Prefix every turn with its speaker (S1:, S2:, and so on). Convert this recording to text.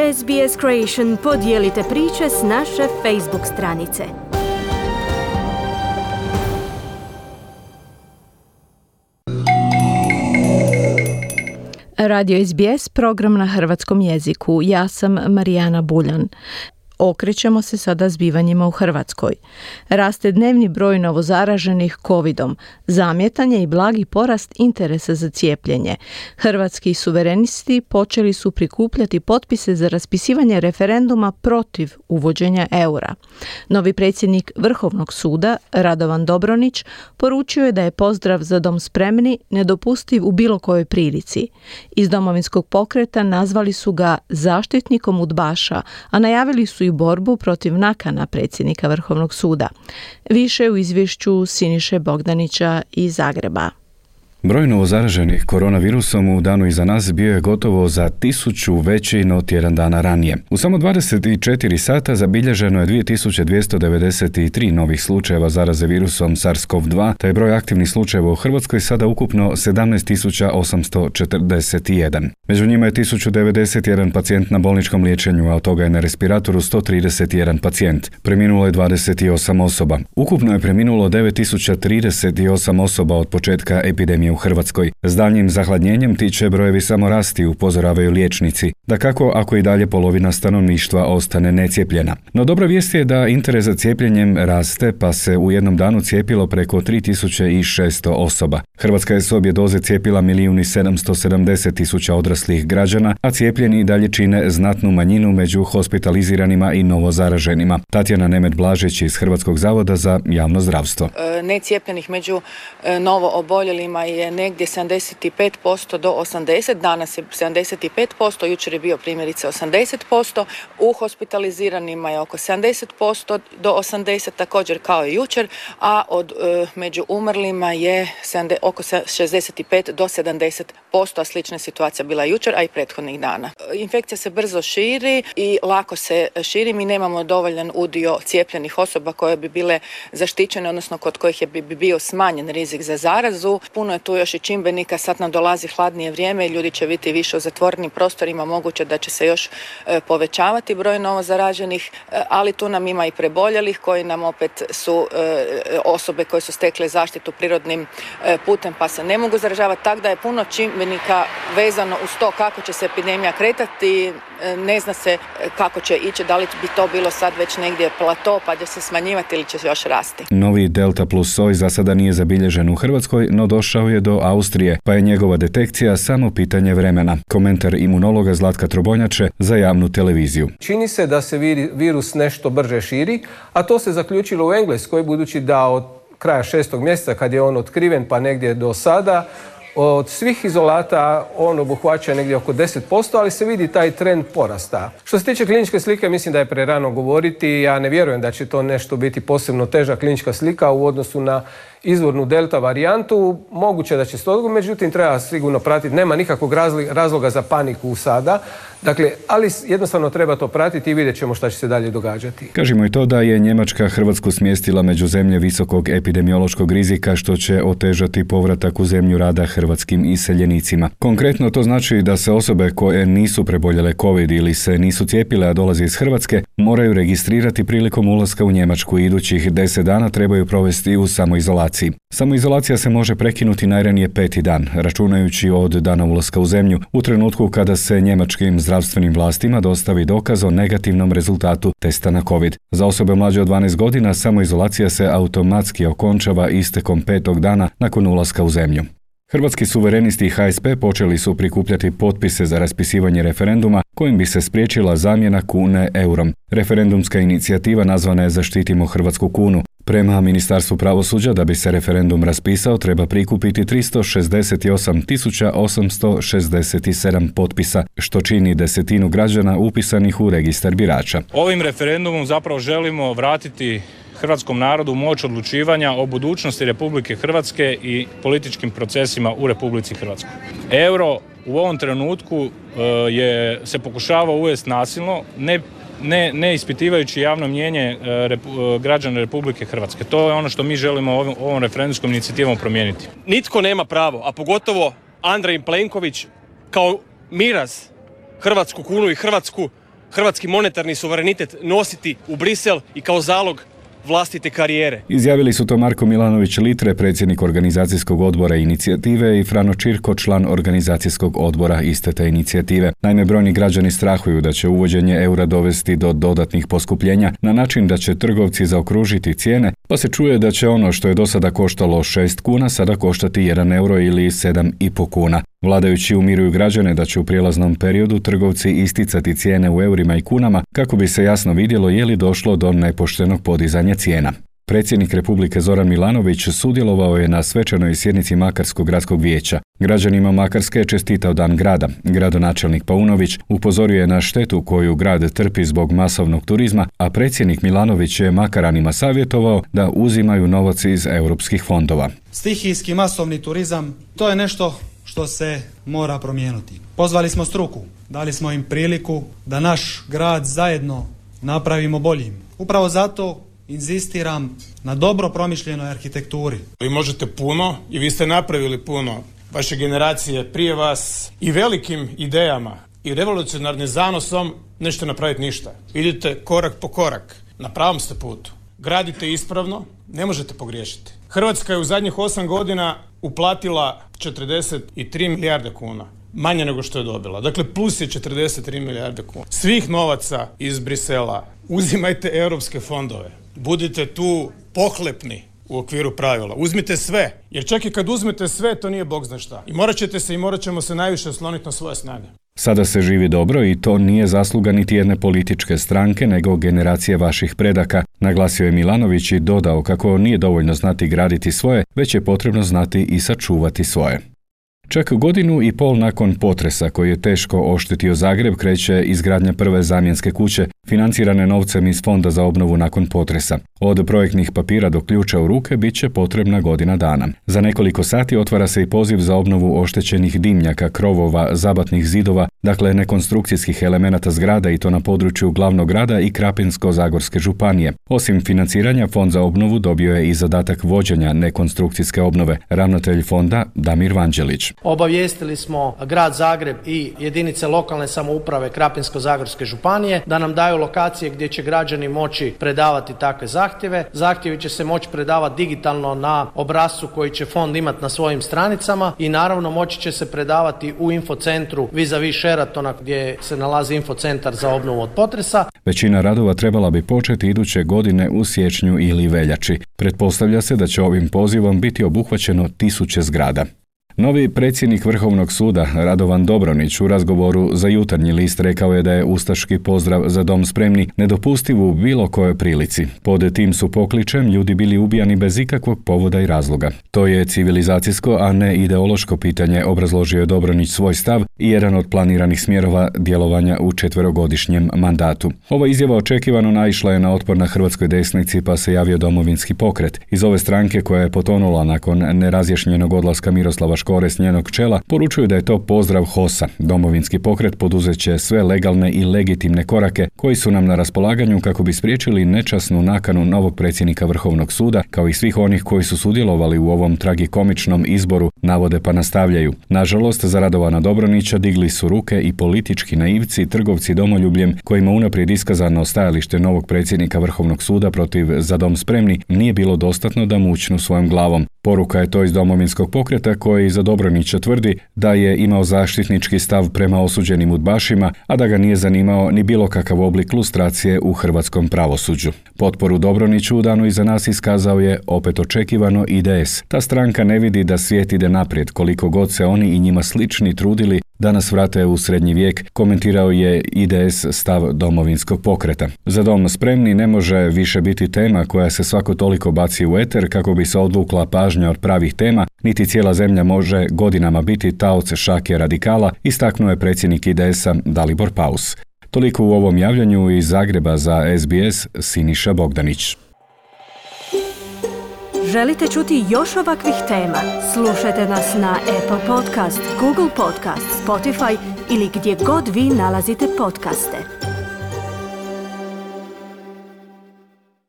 S1: SBS Creation podijelite priče s naše Facebook stranice.
S2: Radio SBS, program na hrvatskom jeziku. Ja sam Marijana Buljan. Okrećemo se sada zbivanjima u Hrvatskoj. Raste dnevni broj novozaraženih covidom. Zamjetan je i blagi porast interesa za cijepljenje. Hrvatski suverenisti počeli su prikupljati potpise za raspisivanje referenduma protiv uvođenja eura. Novi predsjednik Vrhovnog suda, Radovan Dobronić, poručio je da je pozdrav Za dom spremni nedopustiv u bilo kojoj prilici. Iz Domovinskog pokreta nazvali su ga zaštitnikom udbaša, a najavili su i borbu protiv nakana predsjednika Vrhovnog suda. Više u izvješću Siniše Bogdanića iz Zagreba.
S3: Broj novozaraženih koronavirusom u danu iza nas bio je gotovo za 1000 veći no tjedan dana ranije. U samo 24 sata zabilježeno je 2293 novih slučajeva zaraze virusom SARS-CoV-2, te je broj aktivnih slučajeva u Hrvatskoj sada ukupno 17841. Među njima je 1091 pacijent na bolničkom liječenju, a od toga je na respiratoru 131 pacijent. Preminulo je 28 osoba. Ukupno je preminulo 9038 osoba od početka epidemije u Hrvatskoj. S daljnjim zahladnjenjem ti će brojevi samo rasti, upozoravaju liječnici. Dakako, ako i dalje polovina stanovništva ostane necijepljena. No dobra vijest je da interes za cijepljenjem raste, pa se u jednom danu cijepilo preko 3600 osoba. Hrvatska je s obje doze cijepila 1.770.000 odraslih građana, a cijepljeni i dalje čine znatnu manjinu među hospitaliziranima i novozaraženima. Tatjana Nemet-Blažić iz Hrvatskog zavoda za javno zdravstvo.
S4: Necijepljenih među novo oboljelima je negdje 75% do 80%, danas je 75%, jučer je bio primjerice 80%, u hospitaliziranima je oko 70% do 80%, također kao i jučer, a među umrlima je oko 65 do 70%, a slična situacija bila jučer, a i prethodnih dana. Infekcija se brzo širi i lako se širi, mi nemamo dovoljan udio cijepljenih osoba koje bi bile zaštićene, odnosno kod kojih bi bio smanjen rizik za zarazu. Puno je tu još i čimbenika, sad nam dolazi hladnije vrijeme i ljudi će biti više u zatvorenim prostorima, moguće da će se još povećavati broj novozaraženih, ali tu nam ima i preboljelih koji nam opet su osobe koje su stekle zaštitu prirodnim putem pa se ne mogu zaražavati, tako da je puno čimbenika vezano uz to kako će se epidemija kretati, ne zna se kako će ići, da li bi to bilo sad već negdje plato pa će se smanjivati ili će još rasti.
S3: Novi Delta plus soj za sada nije zabilježen u Hrvatskoj, no došao je do Austrije, pa je njegova detekcija samo pitanje vremena. Komentar imunologa Zlatka Trobonjače za javnu televiziju.
S5: Čini se da se virus nešto brže širi, a to se zaključilo u Engleskoj, budući da od kraja 6. mjeseca kad je on otkriven pa negdje do sada, od svih izolata on obuhvaća negdje oko 10%, ali se vidi taj trend porasta. Što se tiče kliničke slike, mislim da je prerano govoriti. Ja ne vjerujem da će to nešto biti posebno teža klinička slika u odnosu na izvornu delta varijantu. Moguće da će se to, međutim treba sigurno pratiti. Nema nikakvog razloga za paniku sada. Dakle, ali jednostavno treba to pratiti i vidjet ćemo šta će se dalje događati.
S3: Kažemo i to da je Njemačka Hrvatsku smjestila među zemlje visokog epidemiološkog rizika, što će otežati povratak u zemlju rada hrvatskim iseljenicima. Konkretno to znači da se osobe koje nisu preboljele COVID ili se nisu cijepile, a dolaze iz Hrvatske, moraju registrirati prilikom ulaska u Njemačku i idućih 10 dana trebaju provesti u samoizolaciji. Samoizolacija se može prekinuti najranije 5. dan, računajući od dana ulaska u zemlju, u trenutku kada se njemačkim zdravstvenim vlastima dostavi dokaz o negativnom rezultatu testa na COVID. Za osobe mlađe od 12 godina samoizolacija se automatski okončava istekom 5. dana nakon ulaska u zemlju. Hrvatski suverenisti i HSP počeli su prikupljati potpise za raspisivanje referenduma kojim bi se spriječila zamjena kune eurom. Referendumska inicijativa nazvana je Zaštitimo hrvatsku kunu. Prema Ministarstvu pravosuđa, da bi se referendum raspisao, treba prikupiti 368.867 potpisa, što čini 1/10 građana upisanih u registar birača.
S6: Ovim referendumom zapravo želimo vratiti hrvatskom narodu moć odlučivanja o budućnosti Republike Hrvatske i političkim procesima u Republici Hrvatskoj. Euro u ovom trenutku se pokušava uvesti nasilno, ne ispitivajući javno mnijenje građana Republike Hrvatske. To je ono što mi želimo ovom referendumskom inicijativom promijeniti.
S7: Nitko nema pravo, a pogotovo Andrej Plenković kao miraz hrvatsku kunu i Hrvatsku hrvatski monetarni suverenitet nositi u Brisel i kao zalog vlastite karijere.
S3: Izjavili su to Marko Milanović Litre, predsjednik organizacijskog odbora inicijative, i Frano Čirko, član organizacijskog odbora iste te inicijative. Naime, brojni građani strahuju da će uvođenje eura dovesti do dodatnih poskupljenja na način da će trgovci zaokružiti cijene, pa se čuje da će ono što je do sada koštalo 6 kuna sada koštati 1 euro ili 7,5 kuna. Vladajući umiruju građane da će u prijelaznom periodu trgovci isticati cijene u eurima i kunama kako bi se jasno vidjelo je li došlo do nepoštenog podizanja cijena. Predsjednik Republike Zoran Milanović sudjelovao je na svečanoj sjednici Makarskog gradskog vijeća. Građanima Makarske je čestitao Dan grada. Gradonačelnik Paunović upozorio je na štetu koju grad trpi zbog masovnog turizma, a predsjednik Milanović je Makaranima savjetovao da uzimaju novac iz europskih fondova.
S8: Stihijski masovni turizam, to je nešto što se mora promijeniti. Pozvali smo struku, dali smo im priliku da naš grad zajedno napravimo boljim. Upravo zato inzistiram na dobro promišljenoj arhitekturi.
S9: Vi možete puno i vi ste napravili puno. Vaše generacije prije vas i velikim idejama i revolucionarnim zanosom nećete napraviti ništa. Idite korak po korak. Na pravom ste putu. Gradite ispravno, ne možete pogriješiti. Hrvatska je u zadnjih 8 godina uplatila 43 milijarde kuna. Manje nego što je dobila. Dakle, plus je 43 milijarde kuna. Svih novaca iz Brisela uzimajte europske fondove. Budite tu pohlepni u okviru pravila. Uzmite sve. Jer čak i kad uzmete sve, to nije bog zna šta. I morat ćemo se najviše osloniti na svoje snage.
S3: Sada se živi dobro i to nije zasluga niti jedne političke stranke, nego generacije vaših predaka, naglasio je Milanović i dodao kako nije dovoljno znati graditi svoje, već je potrebno znati i sačuvati svoje. Čak 1,5 godine nakon potresa koji je teško oštetio Zagreb kreće izgradnja prve zamjenske kuće, financirane novcem iz Fonda za obnovu nakon potresa. Od projektnih papira do ključa u ruke bit će potrebna 1 godina dana. Za nekoliko sati otvara se i poziv za obnovu oštećenih dimnjaka, krovova, zabatnih zidova, dakle nekonstrukcijskih elemenata zgrada, i to na području glavnog grada i Krapinsko-zagorske županije. Osim financiranja, Fond za obnovu dobio je i zadatak vođenja nekonstrukcijske obnove, ravnatelj fonda Damir Vanđelić.
S10: Obavijestili smo grad Zagreb i jedinice lokalne samouprave Krapinsko-zagorske županije da nam daju lokacije gdje će građani moći predavati takve zahtjeve. Zahtjevi će se moći predavati digitalno na obrascu koji će fond imati na svojim stranicama i naravno moći će se predavati u infocentru vis-a-vis Sheratona gdje se nalazi infocentar za obnovu od potresa.
S3: Većina radova trebala bi početi iduće godine u siječnju ili veljači. Pretpostavlja se da će ovim pozivom biti obuhvaćeno 1000 zgrada. Novi predsjednik Vrhovnog suda Radovan Dobronić u razgovoru za Jutarnji list rekao je da je ustaški pozdrav "Za dom spremni" nedopustiv u bilo kojoj prilici. Pod tim su pokličem ljudi bili ubijani bez ikakvog povoda i razloga. To je civilizacijsko, a ne ideološko pitanje, obrazložio je Dobronić svoj stav i jedan od planiranih smjerova djelovanja u 4-godišnjem mandatu. Ova izjava očekivano naišla je na otpor na hrvatskoj desnici, pa se javio Domovinski pokret. Iz ove stranke, koja je potonula nakon nerazjašnjenog odlaska Miroslava Škore s njenog čela, poručuju da je to pozdrav HOS-a. Domovinski pokret poduzet će sve legalne i legitimne korake koji su nam na raspolaganju kako bi spriječili nečasnu nakanu novog predsjednika Vrhovnog suda, kao i svih onih koji su sudjelovali u ovom tragikomičnom izboru, navode pa nastavljaju. Nažalost, za Radovana Dobronića digli su ruke i politički naivci, trgovci domoljubljem, kojima unaprijed iskazano stajalište novog predsjednika Vrhovnog suda protiv "Za dom spremni" nije bilo dostatno da mućnu svojom glavom. Poruka je to iz Domovinskog pokreta, koji za Dobronića tvrdi da je imao zaštitnički stav prema osuđenim udbašima, a da ga nije zanimao ni bilo kakav oblik lustracije u hrvatskom pravosuđu. Potporu Dobroniću u danu iza nas iskazao je, opet očekivano, IDS. Ta stranka ne vidi da svijet ide naprijed, koliko god se oni i njima slični trudili da nas vrate u srednji vijek, komentirao je IDS stav Domovinskog pokreta. "Za dom spremni" ne može više biti tema koja se svako toliko baci u eter kako bi se odvukla pažnja od pravih tema, niti cijela zemlja može godinama biti taoc šake radikala, istaknuo je predsjednik IDS-a Dalibor Paus. Toliko u ovom javljanju iz Zagreba za SBS, Siniša Bogdanić.
S1: Želite čuti još ovakvih tema? Slušajte nas na Apple Podcast, Google Podcast, Spotify ili gdje god vi nalazite podcaste.